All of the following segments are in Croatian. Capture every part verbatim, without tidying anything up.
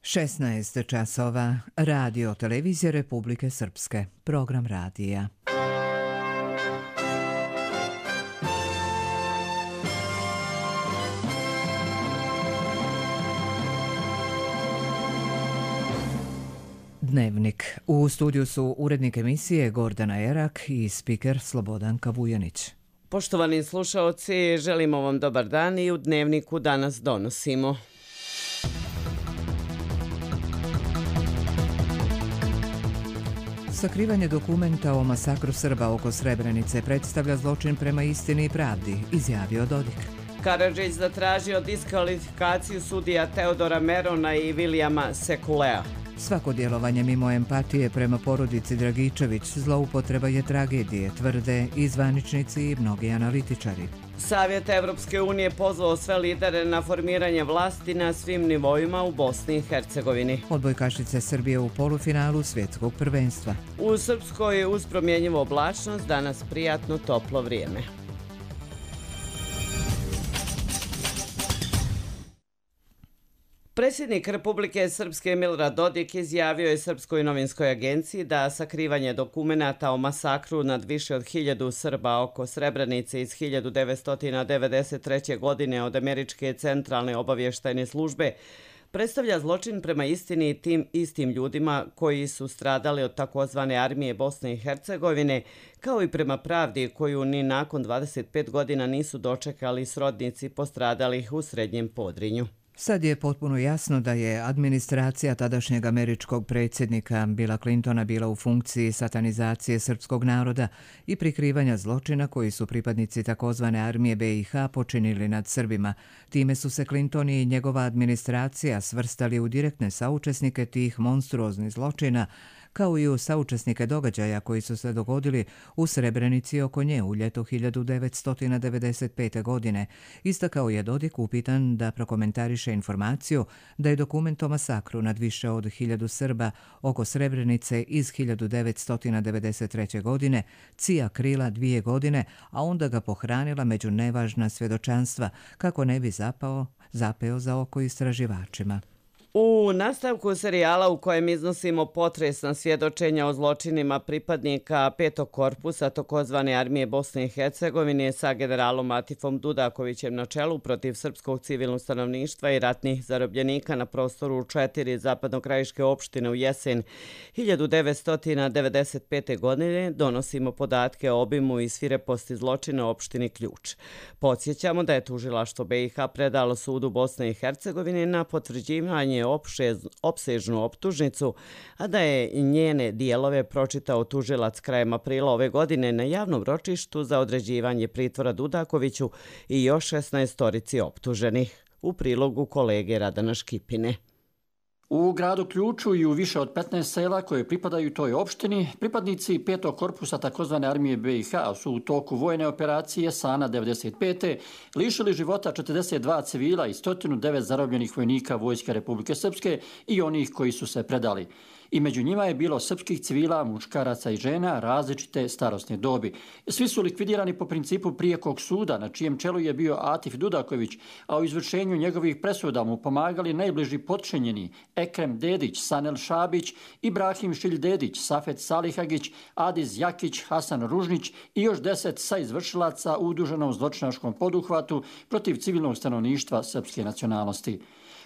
šesnaest časova, Radio Televizije Republike Srpske, program radija. Dnevnik. U studiju su urednik emisije Gordana Erak i spiker Slobodanka Vujanić. Poštovani slušaoci, želimo vam dobar dan i u Dnevniku danas donosimo. Sakrivanje dokumenta o masakru Srba oko Srebrenice predstavlja zločin prema istini i pravdi, izjavio Dodik. Karadžić zatražio diskvalifikaciju sudija Teodora Merona i Vilijama Sekulea. Svako djelovanje mimo empatije prema porodici Dragičević zloupotreba je tragedije, tvrde i zvaničnici i mnogi analitičari. Savjet Evropske unije pozvao sve lidere na formiranje vlasti na svim nivoima u Bosni i Hercegovini. Odbojkašice Srbije u polufinalu svjetskog prvenstva. U Srpskoj uz promjenjivu oblačnost danas prijatno toplo vrijeme. Predsjednik Republike Srpske Milorad Dodik izjavio je Srpskoj novinskoj agenciji da sakrivanje dokumenata o masakru nad više od hiljadu Srba oko Srebrenice iz hiljadu devetsto devedeset treće. godine od Američke centralne obavještajne službe predstavlja zločin prema istini i tim istim ljudima koji su stradali od takozvane armije Bosne i Hercegovine, kao i prema pravdi koju ni nakon dvadeset pet godina nisu dočekali srodnici postradalih u Srednjem Podrinju. Sad je potpuno jasno da je administracija tadašnjeg američkog predsjednika Billa Clintona bila u funkciji satanizacije srpskog naroda i prikrivanja zločina koji su pripadnici takozvane armije be i ha počinili nad Srbima. Time su se Clinton i njegova administracija svrstali u direktne saučesnike tih monstruoznih zločina, kao i u saučesnike događaja koji su se dogodili u Srebrenici oko nje u ljeto hiljadu devetsto devedeset pete. godine. Istakao je Dodik upitan da prokomentariše informaciju da je dokument o masakru nad više od hiljadu Srba oko Srebrenice iz hiljadu devetsto devedeset treće. godine Cija krila dvije godine, a onda ga pohranila među nevažna svjedočanstva kako ne bi zapao, zapeo za oko istraživačima. U nastavku serijala u kojem iznosimo potresna svjedočenja o zločinima pripadnika petog korpusa takozvane armije Bosne i Hercegovine sa generalom Atifom Dudakovićem na čelu protiv srpskog civilnog stanovništva i ratnih zarobljenika na prostoru četiri zapadnokrajiške opštine u jesen hiljadu devetsto devedeset pete. godine, donosimo podatke o obimu i svireposti zločina u opštini Ključ. Podsjećamo da je tužilaštvo be i ha predalo sudu Bosne i Hercegovine na potvrđivanje opsežnu optužnicu, a da je njene dijelove pročitao tužilac krajem aprila ove godine na javnom ročištu za određivanje pritvora Dudakoviću i još šesnaestorici optuženih. U prilogu kolege Radana Škipine. U gradu Ključu i u više od petnaest sela koje pripadaju toj opštini, pripadnici petog korpusa takozvane armije be i ha su u toku vojne operacije Sana devedeset pete. lišili života četrdeset dva civila i sto devet zarobljenih vojnika Vojske Republike Srpske i onih koji su se predali. I među njima je bilo srpskih civila, muškaraca i žena različite starosne dobi. Svi su likvidirani po principu prijekog suda, na čijem čelu je bio Atif Dudaković, a u izvršenju njegovih presuda mu pomagali najbliži potčinjeni Ekrem Dedić, Sanel Šabić, Ibrahim Šilj Dedić, Safet Salihagić, Adiz Jakić, Hasan Ružnić i još deset saizvršilaca u uduženom zločinačkom poduhvatu protiv civilnog stanovništva srpske nacionalnosti.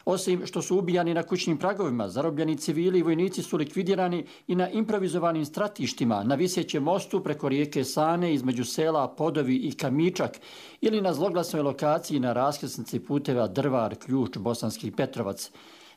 Osim što su ubijani na kućnim pragovima, zarobljeni civili i vojnici su likvidirani i na improvizovanim stratištima, na visećem mostu preko rijeke Sane između sela Podovi i Kamičak ili na zloglasnoj lokaciji na raskrsnici puteva Drvar, Ključ, Bosanski Petrovac.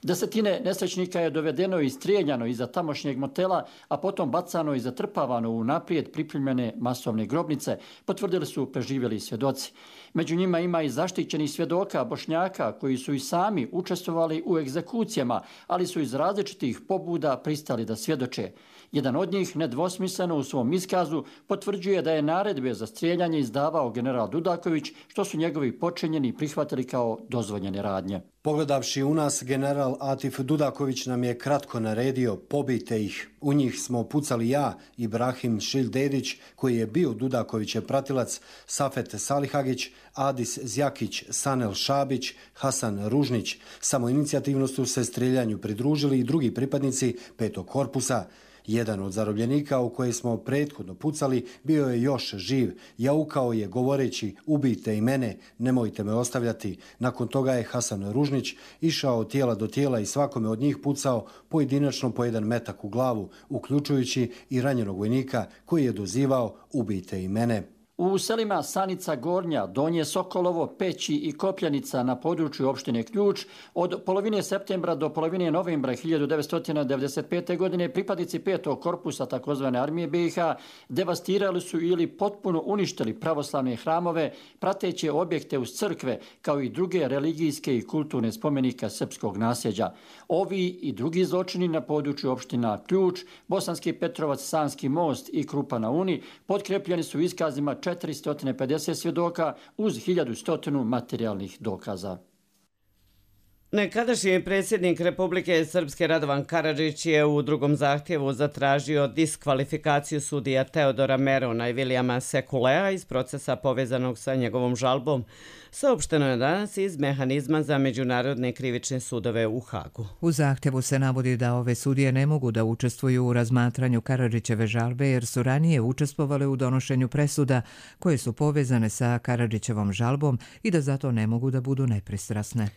Desetine nesrećnika je dovedeno i strijeljano iza tamošnjeg motela, a potom bacano i zatrpavano u naprijed pripremljene masovne grobnice, potvrdili su preživjeli svjedoci. Među njima ima i zaštićenih svjedoka Bošnjaka koji su i sami učestvovali u egzekucijama, ali su iz različitih pobuda pristali da svjedoče. Jedan od njih nedvosmisleno u svom iskazu potvrđuje da je naredbe za strijeljanje izdavao general Dudaković, što su njegovi počinjeni prihvatili kao dozvoljene radnje. Pogledavši u nas, general general Atif Dudaković nam je kratko naredio: pobijte ih. U njih smo pucali ja, Ibrahim Šildedić, koji je bio Dudakovićev pratilac, Safet Salihagić, Adis Zjakić, Sanel Šabić, Hasan Ružnić. Samoinicijativno su se streljanju pridružili i drugi pripadnici petog korpusa. Jedan od zarobljenika u koje smo prethodno pucali bio je još živ. Jaukao je govoreći: ubijte i mene, nemojte me ostavljati. Nakon toga je Hasan Ružnić išao od tijela do tijela i svakome od njih pucao pojedinačno po jedan metak u glavu, uključujući i ranjenog vojnika koji je dozivao: ubijte i mene. U selima Sanica Gornja, Donje Sokolovo, Peći i Kopljanica na području opštine Ključ od polovine septembra do polovine novembra hiljadu devetsto devedeset pete. godine pripadnici petog korpusa takozvane armije B i H devastirali su ili potpuno uništili pravoslavne hramove, prateće objekte uz crkve, kao i druge religijske i kulturne spomenika srpskog nasljeđa. Ovi i drugi zločini na području opština Ključ, Bosanski Petrovac, Sanski Most i Krupa na Uni potkrepljeni su iskazima četiristo pedeset svjedoka uz hiljadu sto materijalnih dokaza. Nekadašnji predsjednik Republike Srpske Radovan Karadžić je u drugom zahtjevu zatražio diskvalifikaciju sudija Teodora Merona i Vilijama Sekulea iz procesa povezanog sa njegovom žalbom. Saopšteno je danas iz mehanizma za međunarodne krivične sudove u Hagu. U zahtjevu se navodi da ove sudije ne mogu da učestvuju u razmatranju Karadžićeve žalbe jer su ranije učestvovale u donošenju presuda koje su povezane sa Karadžićevom žalbom i da zato ne mogu da budu nepristrasne.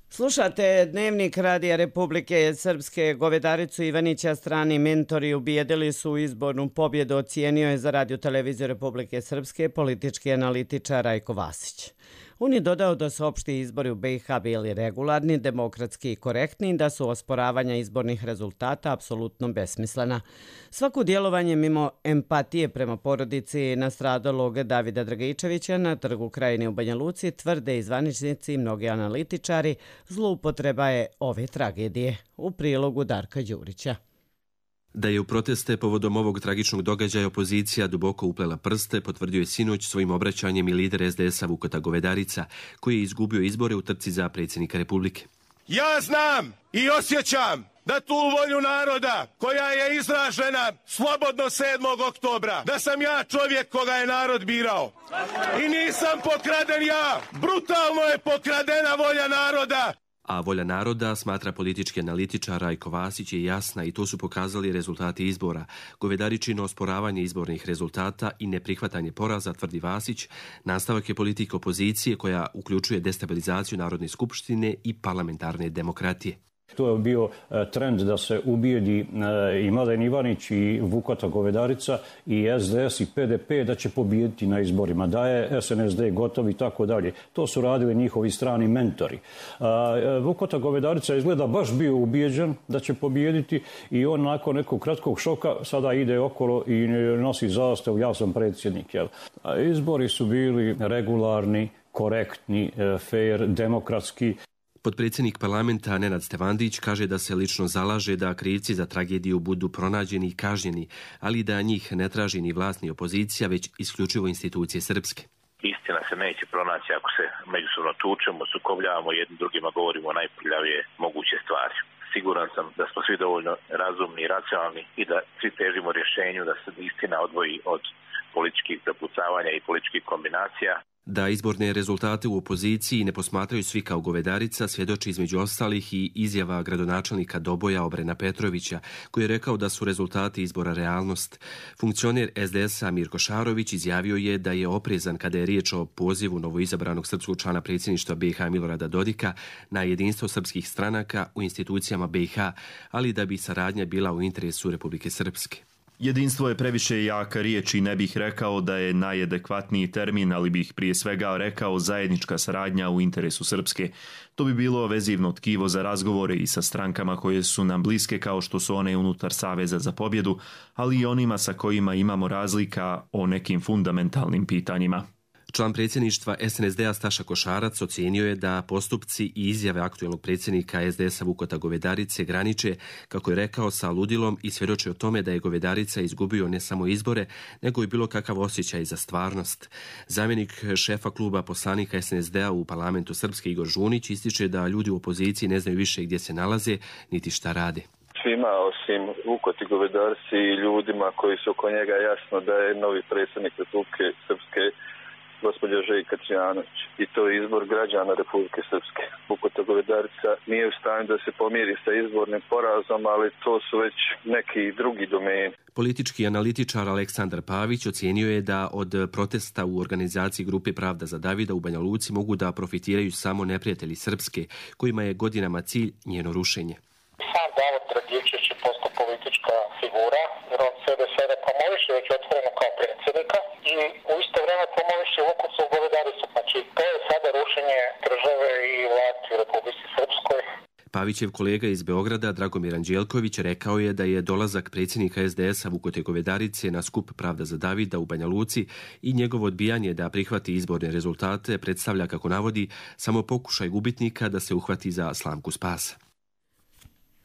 Slušate Dnevnik Radija Republike Srpske. Govedaricu Ivanića strani mentori ubijedili su u izbornu pobjedu, ocijenio je za Radio televiziju Republike Srpske politički analitičar Rajko Vasić. On je dodao da su opšti izbori u B i H bili regularni, demokratski i korektni i da su osporavanja izbornih rezultata apsolutno besmislena. Svako djelovanje mimo empatije prema porodici nastradalog Davida Dragičevića na Trgu Krajine u Banja Luci tvrde i zvaničnici i mnogi analitičari, zloupotreba je ove tragedije. U prilogu Darka Đurića. Da je u proteste povodom ovog tragičnog događaja opozicija duboko uplela prste, potvrdio je sinoć svojim obraćanjem i lider es de esa Vukota Govedarica, koji je izgubio izbore u trci za predsjednika Republike. Ja znam i osjećam da tu volju naroda koja je izražena slobodno sedmog oktobra, da sam ja čovjek koga je narod birao. I nisam pokraden ja, brutalno je pokradena volja naroda. A volja naroda, smatra politički analitičar Rajko Vasić, je jasna i to su pokazali rezultati izbora. Govedaričino osporavanje izbornih rezultata i neprihvatanje poraza, tvrdi Vasić, nastavak je politika opozicije koja uključuje destabilizaciju Narodne skupštine i parlamentarne demokratije. To je bio trend da se ubijedi i Mladen Ivanić i Vukota Govedarica i es de es i pe de pe da će pobijediti na izborima, da je es en es de gotov i tako dalje. To su radili njihovi strani mentori. Vukota Govedarica izgleda baš bio ubijeđen da će pobijediti i on nakon nekog kratkog šoka sada ide okolo i nosi zastavu: ja sam predsjednik. Jel? Izbori su bili regularni, korektni, fair, demokratski. Potpredsjednik parlamenta Nenad Stevandić kaže da se lično zalaže da krivci za tragediju budu pronađeni i kažnjeni, ali da njih ne traži ni vlast ni opozicija, već isključivo institucije srpske. Istina se neće pronaći ako se međusobno tučemo, sukobljavamo, jednim drugima govorimo najprljavije moguće stvari. Siguran sam da smo svi dovoljno razumni i racionalni i da svi težimo rješenju da se istina odvoji od političkih prepucavanja i političkih kombinacija. Da izborne rezultate u opoziciji ne posmatraju svi kao Govedarica svjedoči između ostalih i izjava gradonačelnika Doboja Obrena Petrovića, koji je rekao da su rezultati izbora realnost. Funkcioner es de esa Mirko Šarović izjavio je da je oprezan kada je riječ o pozivu novoizabranog srpskog člana predsjedništva be i ha Milorada Dodika na jedinstvo srpskih stranaka u institucijama be i ha, ali da bi saradnja bila u interesu Republike Srpske. Jedinstvo je previše jaka riječ i ne bih rekao da je najadekvatniji termin, ali bih prije svega rekao zajednička saradnja u interesu Srpske. To bi bilo vezivno tkivo za razgovore i sa strankama koje su nam bliske kao što su one unutar Saveza za pobjedu, ali i onima sa kojima imamo razlika o nekim fundamentalnim pitanjima. Član predsjedništva S N S D-a Staša Košarac ocijenio je da postupci i izjave aktualnog predsjednika S D S-a Vukota Govedarice graniče, kako je rekao, sa ludilom i svjedoči o tome da je Govedarica izgubio ne samo izbore, nego i bilo kakav osjećaj za stvarnost. Zamjenik šefa kluba poslanika S N S D-a u parlamentu Srpske Igor Žunić ističe da ljudi u opoziciji ne znaju više gdje se nalaze, niti šta rade. Svima osim Vukoti Govedarici i ljudima koji su oko njega jasno da je novi predsjednik Republike Srpske gospođa Željka Trijanović. I to je izbor građana Republike Srpske. Vukota Govedarica nije u stanju da se pomiri sa izbornim porazom, ali to su već neki drugi domeni. Politički analitičar Aleksandar Pavić ocijenio je da od protesta u organizaciji grupe Pravda za Davida u Banja Luci mogu da profitiraju samo neprijatelji Srpske, kojima je godinama cilj njeno rušenje. Sam Davor Dragičević je postao politička figura, jer on sebe sada promoviše već otvoreno kao predsjednika i u isto vrijeme promoviše Vukotu Govedaricu. Znači, to je sada rušenje države i vlasti u Republici Srpskoj. Pavićev kolega iz Beograda, Dragomir Anđelković, rekao je da je dolazak predsjednika S D S-a Vukote Govedarice na skup Pravda za Davida u Banja Luci i njegovo odbijanje da prihvati izborne rezultate predstavlja, kako navodi, samo pokušaj gubitnika da se uhvati za slamku spasa.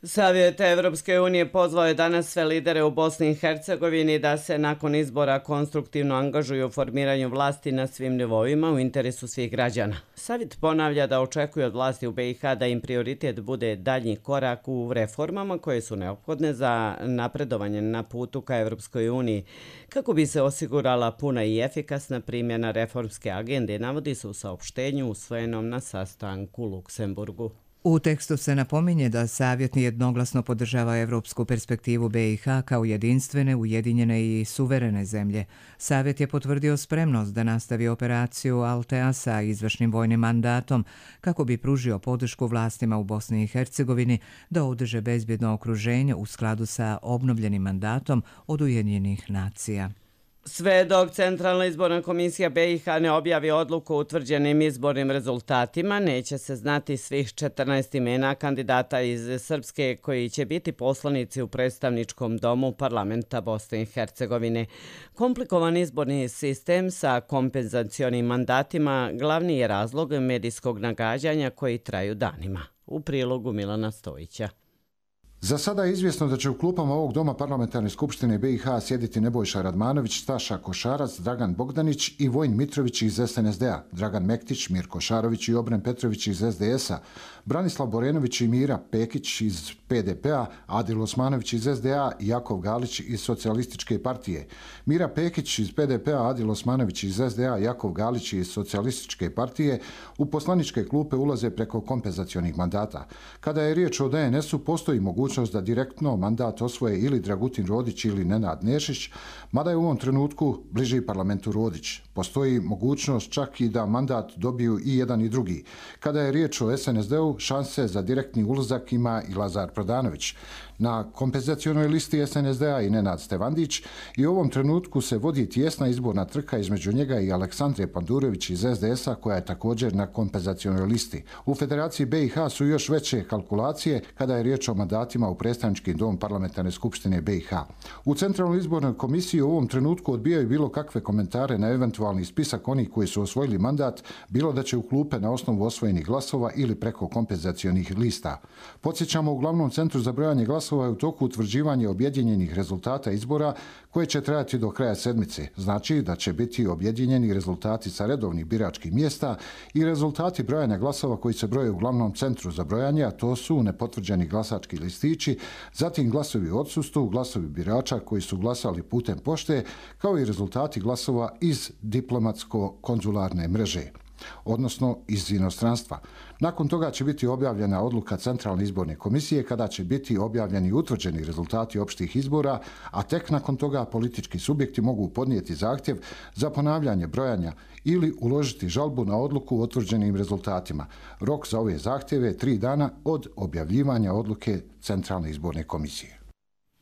Savjet Evropske unije pozvao je danas sve lidere u Bosni i Hercegovini da se nakon izbora konstruktivno angažuju u formiranju vlasti na svim nivoima u interesu svih građana. Savjet ponavlja da očekuje od vlasti u B i H da im prioritet bude daljnji korak u reformama koje su neophodne za napredovanje na putu ka Evropskoj uniji, kako bi se osigurala puna i efikasna primjena reformske agende, navodi se u saopštenju usvojenom na sastanku u Luksemburgu. U tekstu se napominje da Savjet jednoglasno podržava evropsku perspektivu B i H kao jedinstvene, ujedinjene i suverene zemlje. Savjet je potvrdio spremnost da nastavi operaciju Altea sa izvršnim vojnim mandatom kako bi pružio podršku vlastima u Bosni i Hercegovini da održe bezbjedno okruženje u skladu sa obnovljenim mandatom od Ujedinjenih nacija. Sve dok Centralna izborna komisija B i H ne objavi odluku o utvrđenim izbornim rezultatima, neće se znati svih četrnaest imena kandidata iz Srpske koji će biti poslanici u predstavničkom domu parlamenta Bosne i Hercegovine. Komplikovan izborni sistem sa kompenzacionim mandatima glavni je razlog medijskog nagađanja koji traju danima. U prilogu Milana Stojića. Za sada je izvjesno da će u klupama ovog doma parlamentarne skupštine B i H sjediti Nebojša Radmanović, Staša Košarac, Dragan Bogdanić i Vojin Mitrović iz S N S D-a, Dragan Mektić, Mirko Šarović i Obren Petrović iz S D S-a, Branislav Borenović i Mira Pekić iz P D P-a, Adil Osmanović iz S D A i Jakov Galić iz Socijalističke partije. Mira Pekić iz P D P-a, Adil Osmanović iz S D A, Jakov Galić iz Socijalističke partije u poslaničke klupe ulaze preko kompenzacionih mandata. Kada je riječ o D N S-u, postoji mogućnost da direktno mandat osvoje ili Dragutin Rodić ili Nenad Nešić, mada je u ovom trenutku bliži parlamentu Rodić. Postoji mogućnost čak i da mandat dobiju i jedan i drugi. Kada je riječ o S N S D-u, šanse za direktni ulazak ima i Lazar Prodanović. Na kompenzacionoj listi S N S D-a i Nenad Stevandić i u ovom trenutku se vodi tijesna izborna trka između njega i Aleksandre Pandurević iz S D S-a koja je također na kompenzacionoj listi. U Federaciji B i H su još veće kalkulacije kada je riječ o mandatima u predstavnički dom parlamentarne skupštine B i H. U Centralnoj izbornoj komisiji u ovom trenutku odbijaju bilo kakve komentare na eventualni spisak onih koji su osvojili mandat, bilo da će u klupe na osnovu osvojenih glasova ili preko kompenzacionih lista. Podsjećamo, u glavnom centru za brojanje glasova je u toku utvrđivanje objedinjenih rezultata izbora koje će trajati do kraja sedmice. Znači da će biti objedinjeni rezultati sa redovnih biračkih mjesta i rezultati brojanja glasova koji se broje u glavnom centru za brojanje, a to su nepotvrđeni glasački listići, zatim glasovi u odsustvu, glasovi birača koji su glasali putem pošte, kao i rezultati glasova iz diplomatsko-konzularne mreže, odnosno iz inostranstva. Nakon toga će biti objavljena odluka Centralne izborne komisije kada će biti objavljeni i utvrđeni rezultati opštih izbora, a tek nakon toga politički subjekti mogu podnijeti zahtjev za ponavljanje brojanja ili uložiti žalbu na odluku o utvrđenim rezultatima. Rok za ove zahtjeve je tri dana od objavljivanja odluke Centralne izborne komisije.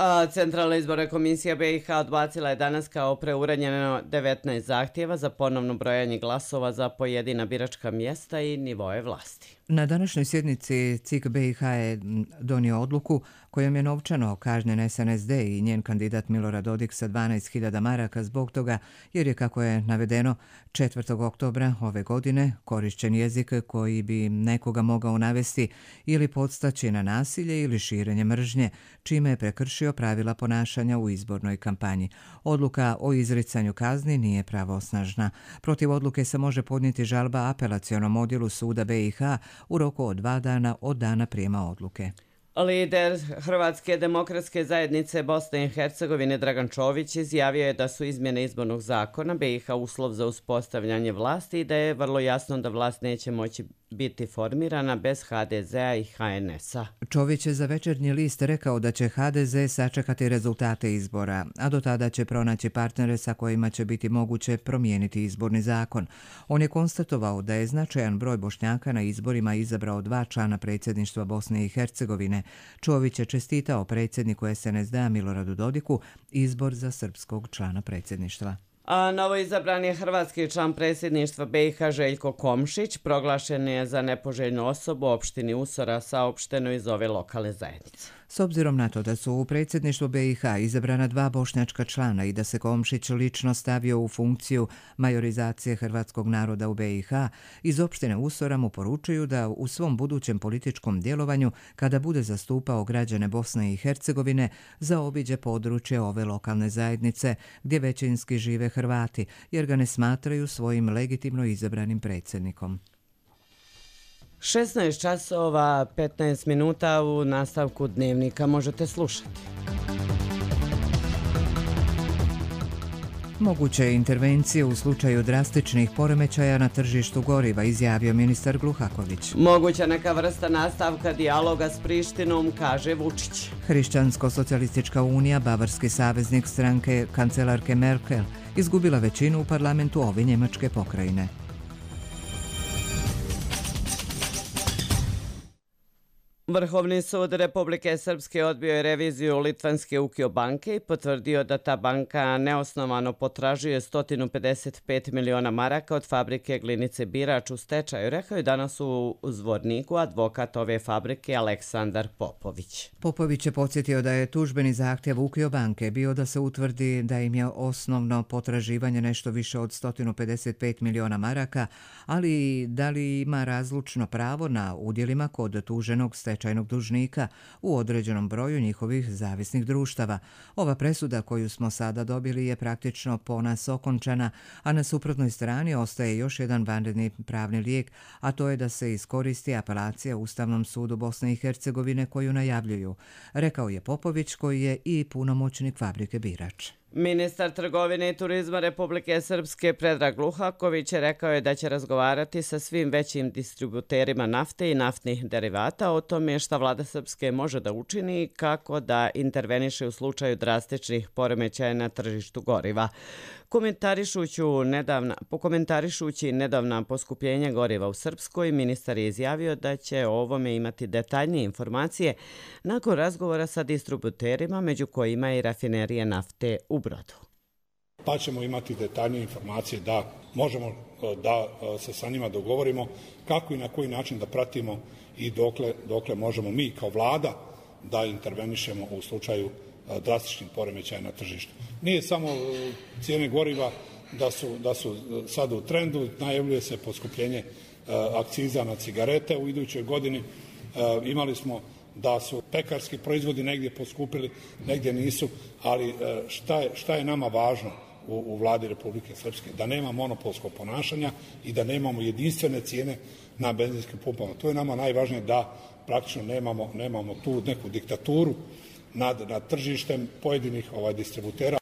A Centralna izborna komisija B i H odbacila je danas kao preuranjeno devetnaest zahtjeva za ponovno brojanje glasova za pojedina biračka mjesta i nivoe vlasti. Na današnjoj sjednici C I K B i H je donio odluku kojom je novčano kažnjen S N S D i njen kandidat Milorad Dodik sa dvanaest hiljada maraka zbog toga jer je, kako je navedeno, četvrtog oktobra ove godine korišćen jezik koji bi nekoga mogao navesti ili podstaći na nasilje ili širenje mržnje, čime je prekršio pravila ponašanja u izbornoj kampanji. Odluka o izricanju kazni nije pravosnažna. Protiv odluke se može podnijeti žalba apelacionom odjelu suda B i H u roku od dva dana od dana prijema odluke. Lider Hrvatske demokratske zajednice Bosne i Hercegovine Dragan Čović izjavio je da su izmjene izbornog zakona B i H uslov za uspostavljanje vlasti i da je vrlo jasno da vlast neće moći biti formirana bez H D Z-a i H N S-a. Čović je za Večernji list rekao da će H D Z sačekati rezultate izbora, a do tada će pronaći partnere sa kojima će biti moguće promijeniti izborni zakon. On je konstatovao da je značajan broj Bošnjaka na izborima izabrao dva člana predsjedništva Bosne i Hercegovine. Čović je čestitao predsjedniku S N S D-a Miloradu Dodiku izbor za srpskog člana predsjedništva. A novo izabran je hrvatski član predsjedništva B i H Željko Komšić, proglašen je za nepoželjnu osobu u opštini Usora, saopšteno iz ove lokalne zajednice. S obzirom na to da su u predsjedništvu B i H izabrana dva bošnjačka člana i da se Komšić lično stavio u funkciju majorizacije hrvatskog naroda u B i H, iz opštine Usora mu poručuju da u svom budućem političkom djelovanju, kada bude zastupao građane Bosne i Hercegovine, zaobiđe područje ove lokalne zajednice gdje većinski žive Hrvati, jer ga ne smatraju svojim legitimno izabranim predsjednikom. šesnaest časova petnaest minuta u nastavku Dnevnika možete slušati. Moguće intervencije u slučaju drastičnih poremećaja na tržištu goriva, izjavio ministar Gluhaković. Moguća neka vrsta nastavka dijaloga s Prištinom, kaže Vučić. Hrišćansko-socijalistička unija, bavarski saveznik stranke kancelarke Merkel, izgubila većinu u parlamentu ove njemačke pokrajine. Vrhovni sud Republike Srpske odbio je reviziju litvanske Ukio banke i potvrdio da ta banka neosnovano potražuje sto pedeset pet miliona maraka od fabrike Glinice Birač u stečaju, rekao je danas u Zvorniku advokat ove fabrike Aleksandar Popović. Popović je podsjetio da je tužbeni zahtjev Ukio banke bio da se utvrdi da im je osnovno potraživanje nešto više od sto pedeset pet miliona maraka, ali da li ima razlučno pravo na udjelima kod tuženog stečajnog stečajnog dužnika u određenom broju njihovih zavisnih društava. Ova presuda koju smo sada dobili je praktično po nas okončana, a na suprotnoj strani ostaje još jedan vanredni pravni lijek, a to je da se iskoristi apelacija Ustavnom sudu Bosne i Hercegovine koju najavljuju, rekao je Popović koji je i punomoćnik fabrike Birač. Ministar trgovine i turizma Republike Srpske Predrag Gluhaković rekao je da će razgovarati sa svim većim distributerima nafte i naftnih derivata o tome šta vlada Srpske može da učini i kako da interveniše u slučaju drastičnih poremećaja na tržištu goriva. Komentarišući nedavna, pokomentarišući nedavna poskupljenja goriva u Srpskoj, ministar je izjavio da će o ovome imati detaljnije informacije nakon razgovora sa distributerima, među kojima i rafinerije nafte u Brodu. Pa ćemo imati detaljnije informacije da možemo da se sa njima dogovorimo kako i na koji način da pratimo i dokle, dokle možemo mi kao vlada da intervenišemo u slučaju drastičnih poremećaja na tržištu. Nije samo cijene goriva da su, da su sad u trendu, najavljuje se poskupljenje akciza na cigarete u idućoj godini. Imali smo da su pekarski proizvodi negdje poskupili, negdje nisu, ali šta je, šta je nama važno u, u vladi Republike Srpske? Da nema monopolskog ponašanja i da nemamo jedinstvene cijene na benzinskim pumpama. To je nama najvažnije, da praktično nemamo, nemamo tu neku diktaturu nad, nad tržištem pojedinih ovaj, distributera.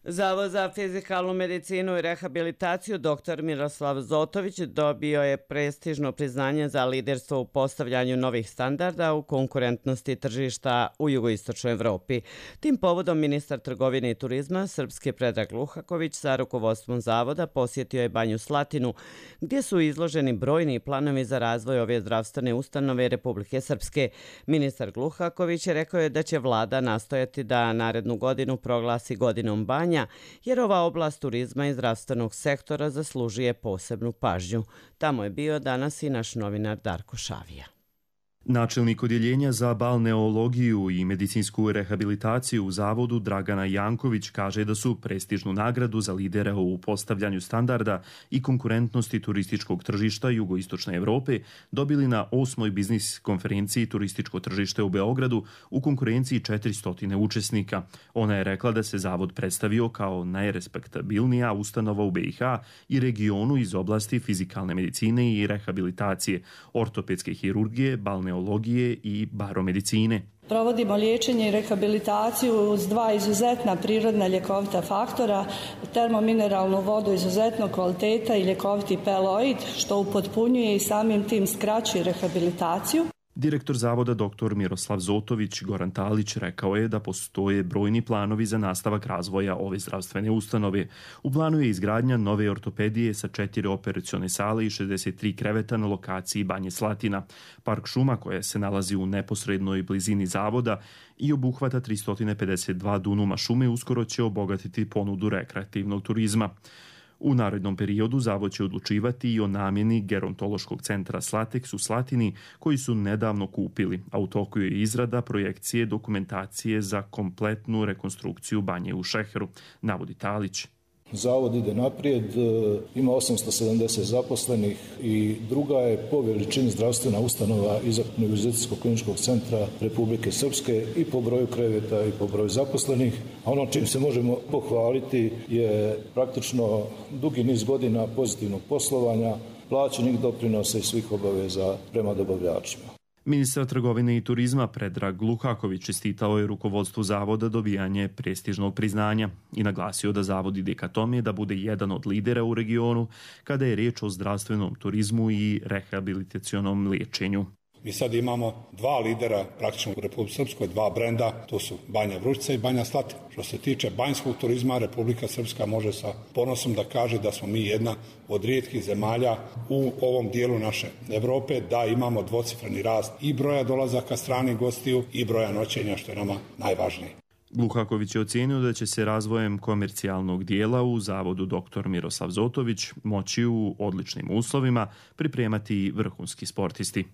Zavod za fizikalnu medicinu i rehabilitaciju dr Miroslav Zotović dobio je prestižno priznanje za liderstvo u postavljanju novih standarda u konkurentnosti tržišta u jugoistočnoj Evropi. Tim povodom ministar trgovine i turizma Srpske Predrag Gluhaković sa rukovodstvom zavoda posjetio je Banju Slatinu, gdje su izloženi brojni planovi za razvoj ove zdravstvene ustanove Republike Srpske. Ministar Gluhaković je rekao je da će vlada nastojati da narednu godinu proglasi godinom banja, ulaganja, jer ova oblast turizma i zdravstvenog sektora zaslužuje posebnu pažnju. Tamo je bio danas i naš novinar Darko Šavija. Načelnik odjeljenja za balneologiju i medicinsku rehabilitaciju u zavodu Dragana Janković kaže da su prestižnu nagradu za lidera u postavljanju standarda i konkurentnosti turističkog tržišta jugoistočne Evrope dobili na osmoj biznis konferenciji Turističko tržište u Beogradu u konkurenciji četiristo učesnika. Ona je rekla da se zavod predstavio kao najrespektabilnija ustanova u B i H i regionu iz oblasti fizikalne medicine i rehabilitacije, ortopedske hirurgije, balneologije i baromedicine. Provodimo liječenje i rehabilitaciju uz dva izuzetna prirodna ljekovita faktora, termomineralnu vodu izuzetnog kvaliteta i ljekoviti peloid, što upotpunjuje i samim tim skraćuje rehabilitaciju. Direktor zavoda dr. Miroslav Zotović Goran Talić rekao je da postoje brojni planovi za nastavak razvoja ove zdravstvene ustanove. U planu je izgradnja nove ortopedije sa četiri operacione sale i šezdeset tri kreveta na lokaciji Banje Slatina. Park šuma koja se nalazi u neposrednoj blizini zavoda i obuhvata tristo pedeset dva dunuma šume uskoro će obogatiti ponudu rekreativnog turizma. U narednom periodu zavod će odlučivati i o namjeni gerontološkog centra Slateks u Slatini koji su nedavno kupili, a u toku je izrada projekcije dokumentacije za kompletnu rekonstrukciju banje u Šeheru, navodi Talić. Zavod ide naprijed, ima osamsto sedamdeset zaposlenih i druga je po veličini zdravstvena ustanova iza Univerzitetskog kliničkog centra Republike Srpske i po broju kreveta i po broju zaposlenih. A ono čim se možemo pohvaliti je praktično dugi niz godina pozitivnog poslovanja, plaćenih doprinosa i svih obaveza prema dobavljačima. Ministar trgovine i turizma Predrag Lukaković čestitao je rukovodstvu zavoda dobijanje prestižnog priznanja i naglasio da zavod ide ka tome da bude jedan od lidera u regionu kada je riječ o zdravstvenom turizmu i rehabilitacionom liječenju. Mi sad imamo dva lidera praktično u Republici Srpskoj, dva brenda, to su Banja Vrućica i Banja Slatina. Što se tiče banjskog turizma, Republika Srpska može sa ponosom da kaže da smo mi jedna od rijetkih zemalja u ovom dijelu naše Evrope, da imamo dvocifreni rast i broja dolazaka stranih gostiju i broja noćenja, što je nama najvažnije. Lukaković je ocijenio da će se razvojem komercijalnog dijela u zavodu dr. Miroslav Zotović moći u odličnim uslovima pripremati vrhunski sportisti.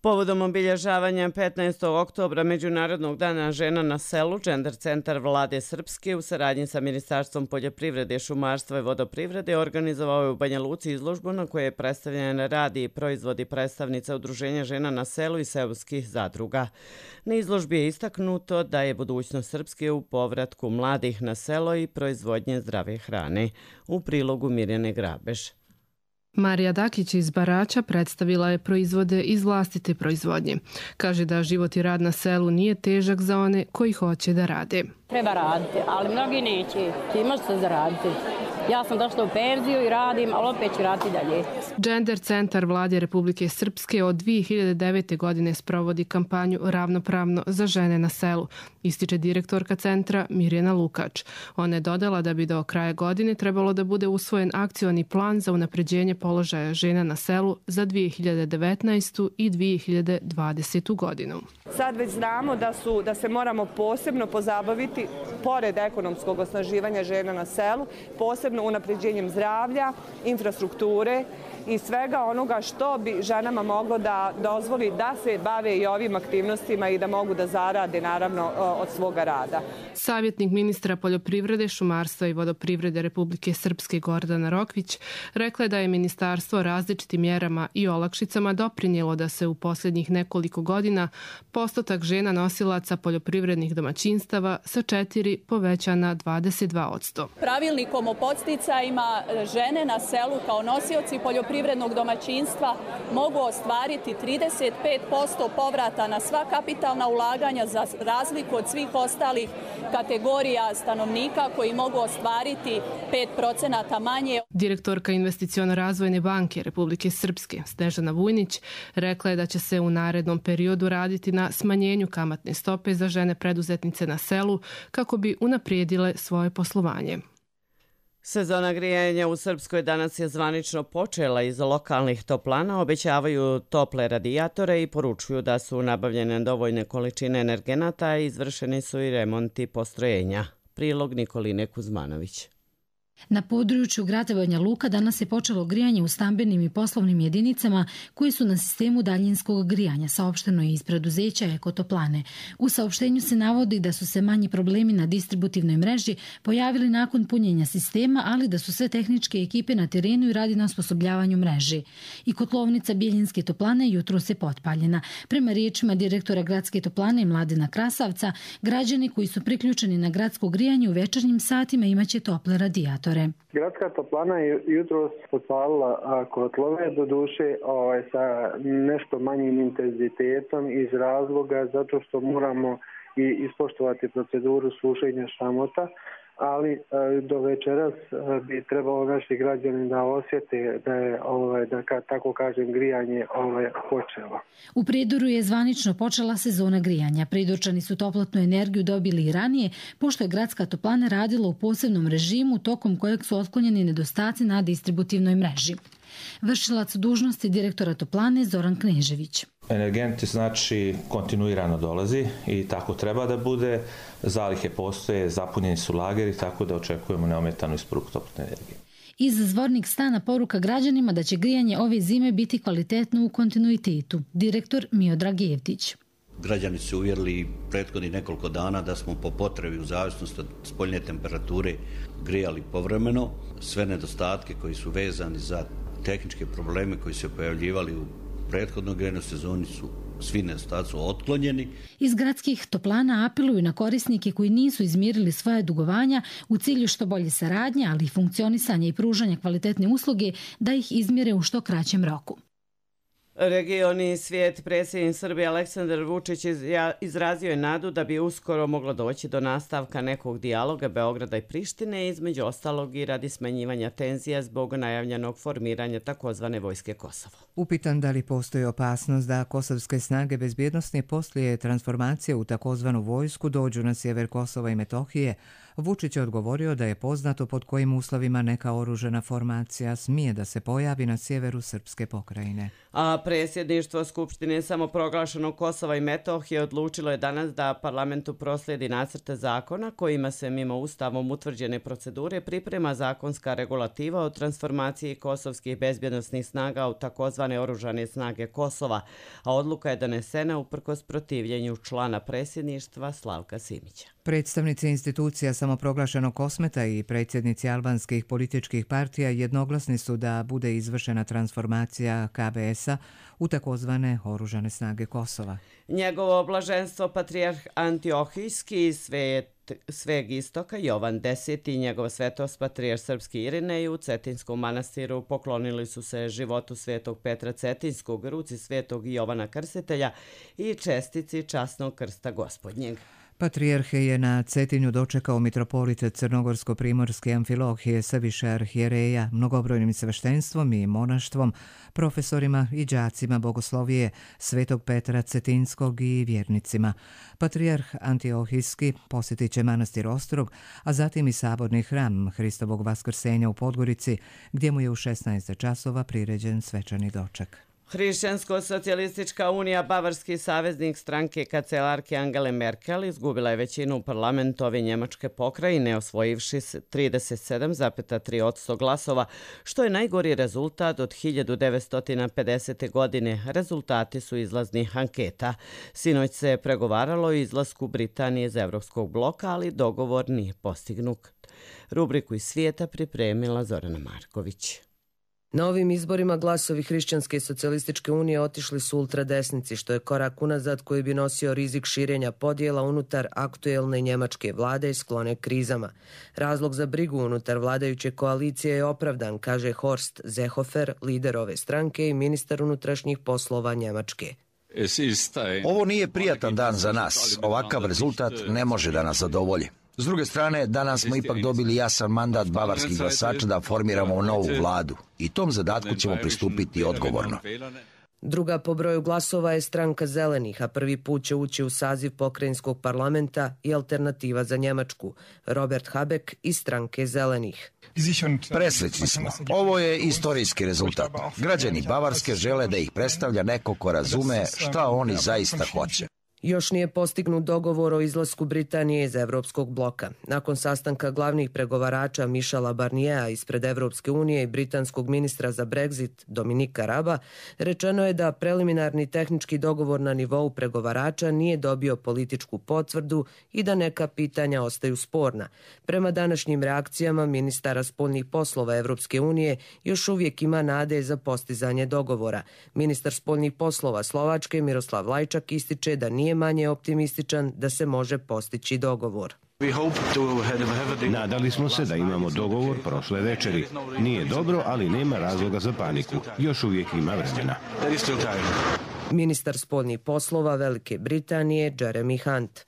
Povodom obilježavanja petnaestog oktobra Međunarodnog dana žena na selu, Gender centar Vlade Srpske u saradnji sa Ministarstvom poljoprivrede, šumarstva i vodoprivrede organizovao je u Banja Luci izložbu na kojoj je predstavljen rad i proizvodi predstavnica Udruženja žena na selu i seoskih zadruga. Na izložbi je istaknuto da je budućnost Srpske u povratku mladih na selo i proizvodnje zdrave hrane. U prilogu Mirjane Grabeš. Marija Dakić iz Barača predstavila je proizvode iz vlastite proizvodnje. Kaže da život i rad na selu nije težak za one koji hoće da rade. Treba raditi, ali mnogi neće. Ti možeš se zaraditi. Ja sam došla u penziju i radim, ali opet ću raditi dalje. Gender centar Vlade Republike Srpske od dvije hiljade devete. godine sprovodi kampanju Ravnopravno za žene na selu, ističe direktorka centra Mirjana Lukač. Ona je dodala da bi do kraja godine trebalo da bude usvojen akcioni plan za unapređenje položaja žena na selu za dvije hiljade devetnaestu. i dvije hiljade dvadesetu. godinu. Sad već znamo da, su, da se moramo posebno pozabaviti, pored ekonomskog osnaživanja žena na selu, posebno unapređenjem zdravlja, infrastrukture i svega onoga što bi ženama moglo da dozvoli da se bave i ovim aktivnostima i da mogu da zarade naravno od svoga rada. Savjetnik ministra poljoprivrede, šumarstva i vodoprivrede Republike Srpske Gordana Rokvić rekla je da je ministarstvo različitim mjerama i olakšicama doprinijelo da se u posljednjih nekoliko godina postotak žena nosilaca poljoprivrednih domaćinstava sa četiri poveća na dvadeset dva posto. Pravilnikom o podsticajima žene na selu kao nosioci poljoprivrednog domaćinstva mogu ostvariti trideset pet posto povrata na sva kapitalna ulaganja za razliku od svih ostalih kategorija stanovnika koji mogu ostvariti pet procenata manje. Direktorka Investiciono-razvojne banke Republike Srpske Snežana Vujnić rekla je da će se u narednom periodu raditi na smanjenju kamatne stope za žene preduzetnice na selu kako bi unaprijedile svoje poslovanje. Sezona grijanja u Srpskoj danas je zvanično počela. Iz lokalnih toplana obećavaju tople radijatore i poručuju da su nabavljene dovoljne količine energenata i izvršeni su i remonti postrojenja. Prilog Nikoline Kuzmanović. Na području grada Banja Luka danas je počelo grijanje u stambenim i poslovnim jedinicama koji su na sistemu daljinskog grijanja, saopšteno je iz preduzeća Ekotoplane. U saopštenju se navodi da su se manji problemi na distributivnoj mreži pojavili nakon punjenja sistema, ali da su sve tehničke ekipe na terenu i radi na osposobljavanju mreži. I kotlovnica Bjeljinske toplane jutros je potpaljena. Prema riječima direktora gradske toplane Mladena Krasavca, građani koji su priključeni na gradsko grijanje u večernjim satima imaće tople radijatore. Gradska toplana je jutros potpalila kotlove, doduše ovaj, sa nešto manjim intenzitetom iz razloga zato što moramo i ispoštovati proceduru sušenja šamota, ali do večeras bi trebalo naši građani da osjete da je, ovaj, da ka, tako kažem, grijanje ovaj, počelo. U Prijedoru je zvanično počela sezona grijanja. Prijedorčani su toplotnu energiju dobili i ranije, pošto je gradska toplana radila u posebnom režimu tokom kojeg su otklonjeni nedostaci na distributivnoj mreži. Vršilac dužnosti direktora toplane Zoran Knežević. Energenti znači kontinuirano dolazi i tako treba da bude. Zalihe postoje, zapunjeni su lageri, tako da očekujemo neometanu isporuku toplotne energije. Iz zvornik stana poruka građanima da će grijanje ove zime biti kvalitetno u kontinuitetu. Direktor Miodrag Jevtić. Građani su uvjerili prethodnih nekoliko dana da smo po potrebi u zavisnosti od spoljne temperature grijali povremeno. Sve nedostatke koji su vezani za tehničke probleme koji se pojavljivali u prethodnoj grejnoj sezoni su svi nedostaci otklonjeni. Iz gradskih toplana apeluju na korisnike koji nisu izmirili svoje dugovanja u cilju što bolje saradnje, ali i funkcionisanja i pružanja kvalitetne usluge da ih izmire u što kraćem roku. Regioni svijet, predsjednik Srbije Aleksandar Vučić izrazio je nadu da bi uskoro moglo doći do nastavka nekog dijaloga Beograda i Prištine, između ostalog i radi smanjivanja tenzija zbog najavljenog formiranja takozvane vojske Kosovo. Upitan da li postoji opasnost da kosovske snage bezbjednostne poslije transformacije u takozvanu vojsku dođu na sjever Kosova i Metohije, Vučić je odgovorio da je poznato pod kojim uslovima neka oružana formacija smije da se pojavi na sjeveru srpske pokrajine. A predsjedništvo Skupštine samoproglašenog Kosova i Metohije odlučilo je danas da parlamentu proslijedi nacrte zakona kojima se mimo ustavom utvrđene procedure priprema zakonska regulativa o transformaciji kosovskih bezbjednosnih snaga u takozvane oružane snage Kosova, a odluka je donesena uprkos protivljenju člana predsjedništva Slavka Simića. Predstavnici institucija samoproglašenog Kosmeta i predsjednici albanskih političkih partija jednoglasni su da bude izvršena transformacija K B S-a u takozvane oružane snage Kosova. Njegovo blaženstvo patrijarh Antiohijski svet sveg istoka Jovan Deseti i njegov svetost patrijarh srpski Irinej u Cetinskom manastiru poklonili su se životu svetog Petra Cetinskog, ruci svetog Jovana Krstitelja i čestici časnog krsta gospodnjeg. Patrijarhe je na Cetinju dočekao mitropolit Crnogorsko-primorske Amfilohije sa više arhijereja, mnogobrojnim sveštenstvom i monaštvom, profesorima i đacima bogoslovije Svetog Petra Cetinskog i vjernicima. Patrijarh Antiohijski posjetit će manastir Ostrog, a zatim i saborni hram Hristovog vaskrsenja u Podgorici, gdje mu je u šesnaest časova priređen svečani doček. Hrišćansko-socijalistička unija, bavarski saveznik stranke kancelarke Angele Merkel, izgubila je većinu u parlamentu ove njemačke pokrajine, osvojivši trideset sedam zarez tri posto glasova, što je najgori rezultat od hiljadu devetsto pedesete. godine. Rezultati su izlaznih anketa. Sinoć se pregovaralo o izlasku Britanije iz Evropskog bloka, ali dogovor nije postignut. Rubriku iz svijeta pripremila Zorana Marković. Na ovim izborima glasovi Hrišćanske socijalističke unije otišli su ultradesnici, što je korak unazad koji bi nosio rizik širenja podjela unutar aktuelne njemačke vlade i sklone krizama. Razlog za brigu unutar vladajuće koalicije je opravdan, kaže Horst Seehofer, lider ove stranke i ministar unutrašnjih poslova Njemačke. Ovo nije prijatan dan za nas. Ovakav rezultat ne može da nas zadovolji. S druge strane, danas smo ipak dobili jasan mandat bavarskih glasača da formiramo novu vladu i tom zadatku ćemo pristupiti odgovorno. Druga po broju glasova je stranka Zelenih, a prvi put će ući u saziv pokrajinskog parlamenta i Alternativa za Njemačku, Robert Habeck iz stranke Zelenih. Presrećni smo. Ovo je istorijski rezultat. Građani Bavarske žele da ih predstavlja neko ko razume šta oni zaista hoće. Još nije postignut dogovor o izlasku Britanije iz Evropskog bloka. Nakon sastanka glavnih pregovarača Michela Barniera ispred Evropske unije i britanskog ministra za Brexit Dominika Raba, rečeno je da preliminarni tehnički dogovor na nivou pregovarača nije dobio političku potvrdu i da neka pitanja ostaju sporna. Prema današnjim reakcijama ministara spoljnih poslova Evropske unije još uvijek ima nade za postizanje dogovora. Ministar spoljnih poslova Slovačke Miroslav Lajčak ističe da nije manje optimističan da se može postići dogovor. Nadali smo se da imamo dogovor prošle večeri. Nije dobro, ali nema razloga za paniku. Još uvijek ima vremena. Ministar spoljnih poslova Velike Britanije Jeremy Hunt.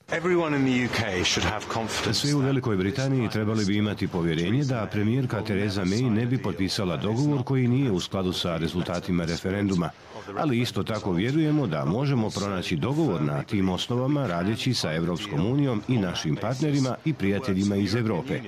Svi u Velikoj Britaniji trebali bi imati povjerenje da premijerka Theresa May ne bi potpisala dogovor koji nije u skladu sa rezultatima referenduma. Ali isto tako vjerujemo da možemo pronaći dogovor na tim osnovama radeći sa Evropskom unijom i našim partnerima i prijateljima iz Europe.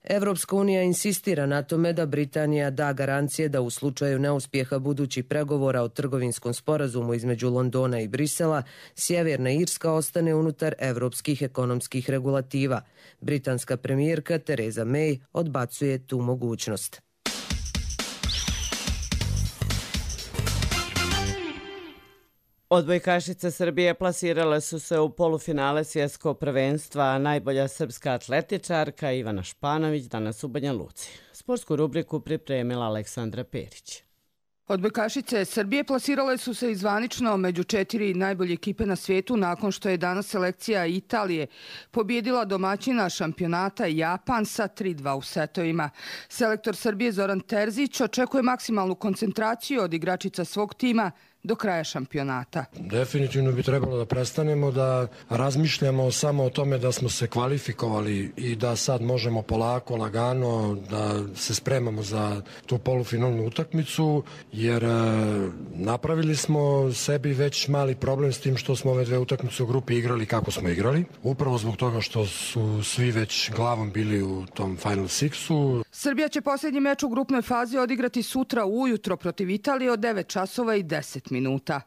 Evropska unija insistira na tome da Britanija da garancije da u slučaju neuspjeha budućih pregovora o trgovinskom sporazumu između Londona i Brisela, Sjeverna Irska ostane unutar evropskih ekonomskih regulativa. Britanska premijerka Theresa May odbacuje tu mogućnost. Odbojkašice Srbije plasirale su se u polufinale svjetskog prvenstva, a najbolja srpska atletičarka Ivana Španović danas u Banja Luci. Sportsku rubriku pripremila Aleksandra Perić. Odbojkašice Srbije plasirale su se izvanično među četiri najbolje ekipe na svijetu nakon što je danas selekcija Italije pobjedila domaćina šampionata Japan sa tri dva u setovima. Selektor Srbije Zoran Terzić očekuje maksimalnu koncentraciju od igračica svog tima do kraja šampionata. Definitivno bi trebalo da prestanemo da razmišljamo samo o tome da smo se kvalifikovali i da sad možemo polako, lagano da se spremamo za tu polufinalnu utakmicu, jer e, napravili smo sebi već mali problem s tim što smo ove dve utakmice u grupi igrali kako smo igrali. Upravo zbog toga što su svi već glavom bili u tom Final Sixu. Srbija će posljednji meč u grupnoj fazi odigrati sutra ujutro protiv Italije od devet časova i deset minuta.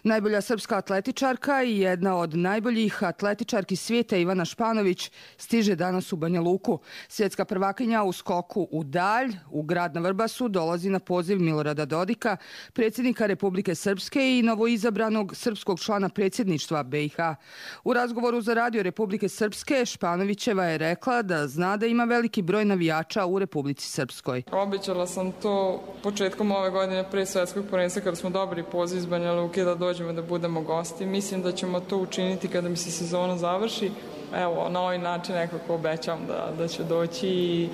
Najbolja srpska atletičarka i jedna od najboljih atletičarki svijeta Ivana Španović stiže danas u Banja Luku. Svjetska prvakinja u skoku u dalj u grad na Vrbasu dolazi na poziv Milorada Dodika, predsjednika Republike Srpske i novoizabranog srpskog člana predsjedništva B i H. U razgovoru za radio Republike Srpske Španovićeva je rekla da zna da ima veliki broj navijača u Republici Srpskoj. Obećala sam to početkom ove godine pre svjetskog prvenstva kada smo dobili poziv iz Banja Luke da dođemo da budemo gosti. Mislim da ćemo to učiniti kada mi se sezona završi. Evo, na ovaj način nekako obećam da, da ću doći i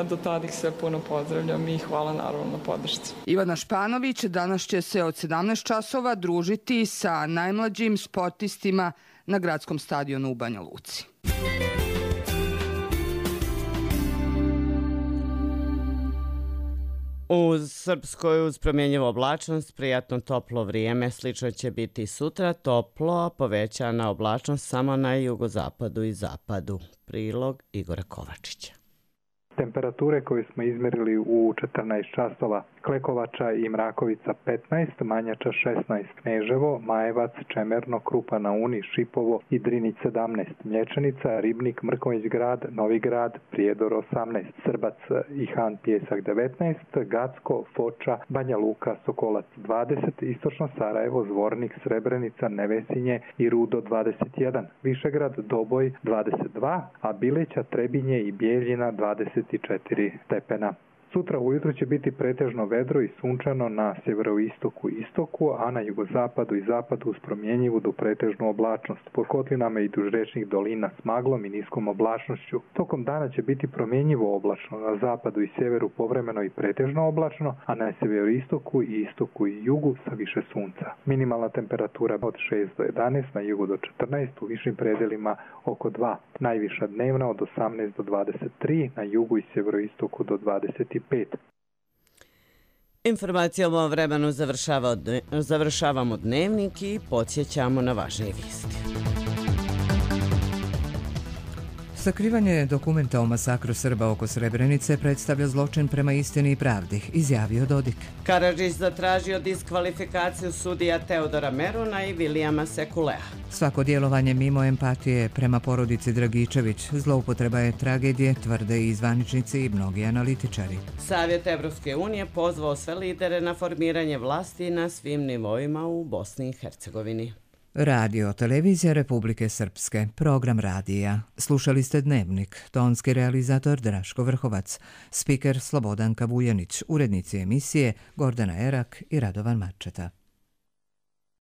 do tada ih sve puno pozdravljam i hvala naravno na podršci. Ivana Španović danas će se od sedamnaest časova družiti sa najmlađim sportistima na gradskom stadionu u Banja Luci. U Srpskoj uz promjenjivu oblačnost, prijatno toplo vrijeme, slično će biti sutra, toplo, a povećana oblačnost samo na jugozapadu i zapadu. Prilog Igora Kovačića. Temperature koje smo izmjerili u četrnaest časova: Klekovača i Mrakovica petnaest, Manjača šesnaest, Kneževo, Majevac, Čemerno, Krupa na Uni, Šipovo i Drinić sedamnaest, Mlječanica, Ribnik, Mrkonjić grad, Novi grad, Prijedor osamnaest, Srbac i Han Pjesak devetnaest, Gacko, Foča, Banja Luka, Sokolac dvadeset, Istočno Sarajevo, Zvornik, Srebrenica, Nevesinje i Rudo dvadeset jedan, Višegrad, Doboj dvadeset dva, a Bileća, Trebinje i Bijeljina dvadeset četiri stepena. Sutra ujutro će biti pretežno vedro i sunčano na sjeveroistoku i istoku, a na jugozapadu i zapadu uz promjenjivu do pretežnu oblačnost. Po kotlinama i duž rečnih dolina s maglom i niskom oblačnošću. Tokom dana će biti promjenjivo oblačno, na zapadu i sjeveru povremeno i pretežno oblačno, a na sjeveroistoku i istoku i jugu sa više sunca. Minimalna temperatura od šest do jedanaest, na jugu do četrnaest, u višim predelima oko dva. Najviša dnevna od osamnaest do dvadeset tri, na jugu i sjeveroistoku do dvadeset pet. Informacijom o vremenu završava, završavamo dnevnik i podsjećamo na važnije vijesti. Sakrivanje dokumenta o masakru Srba oko Srebrenice predstavlja zločin prema istini i pravdi, izjavio Dodik. Karadžić zatražio diskvalifikaciju sudija Teodora Meruna i Vilijama Sekulea. Svako djelovanje mimo empatije prema porodici Dragičević zloupotreba je tragedije, tvrde i zvaničnici i mnogi analitičari. Savjet Evropske unije pozvao sve lidere na formiranje vlasti na svim nivoima u Bosni i Hercegovini. Radio Televizija Republike Srpske, program radija. Slušali ste Dnevnik, tonski realizator Draško Vrhovac, spiker Slobodanka Vujanić, urednici emisije Gordana Erak i Radovan Mačeta.